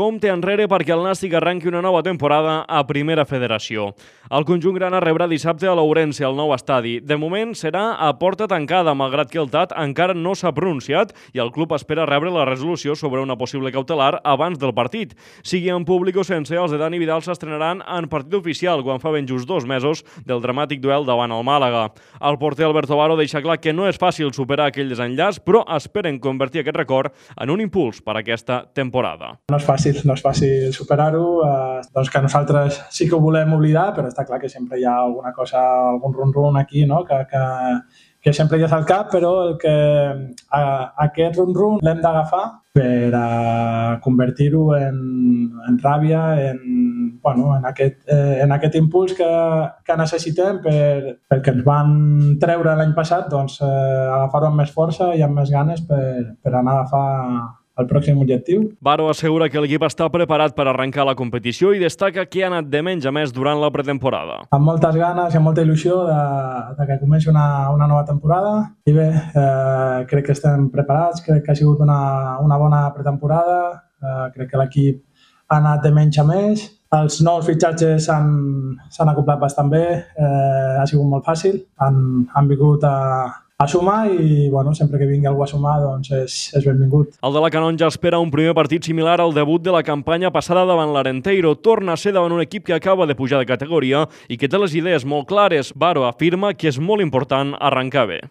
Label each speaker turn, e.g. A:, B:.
A: compte enrere perquè el Nàstic arranqui una nova temporada a Primera Federació. El conjunt grana rebrà dissabte a l'Ourense, al nou estadi. De moment serà a porta tancada, malgrat que el TAT encara no s'ha pronunciat i el club espera rebre la resolució sobre una possible cautelar abans del partit. Sigui en públic o sense, els de Dani Vidal s'estrenaran en partit oficial quan fa ben just 2 mesos del dramàtic duel davant el Màlaga. El porter Alberto Baro deixa clar que no és fàcil superar aquell desenllaç, però esperen convertir aquest record en un impuls per a aquesta temporada.
B: No és fàcil superar-ho, doncs que nosaltres sí que ho volem oblidar, però està clar que sempre hi ha alguna cosa, algun rum-rum aquí, no? que sempre hi és al cap, però aquest rum-rum l'hem d'agafar per a convertir-ho en ràbia, en aquest impuls que necessitem perquè ens van treure l'any passat, doncs agafar-ho amb més força i amb més ganes per anar a agafar el pròxim objectiu.
A: Baro assegura que l'equip està preparat per arrencar la competició i destaca que ha anat de menys a més durant la pretemporada.
B: Amb moltes ganes i amb molta il·lusió de que comenci una nova temporada. I bé, crec que estem preparats, crec que ha sigut una bona pretemporada, crec que l'equip ha anat de menys a més. Els nous fitxatges s'han acoplat bastant bé, ha sigut molt fàcil, han vingut a sumar i sempre que vingui algú a sumar doncs és benvingut.
A: El de la Canonja espera un primer partit similar al debut de la campanya passada davant l'Arenteiro. Torna a ser davant un equip que acaba de pujar de categoria i que té les idees molt clares. Baro afirma que és molt important arrencar bé.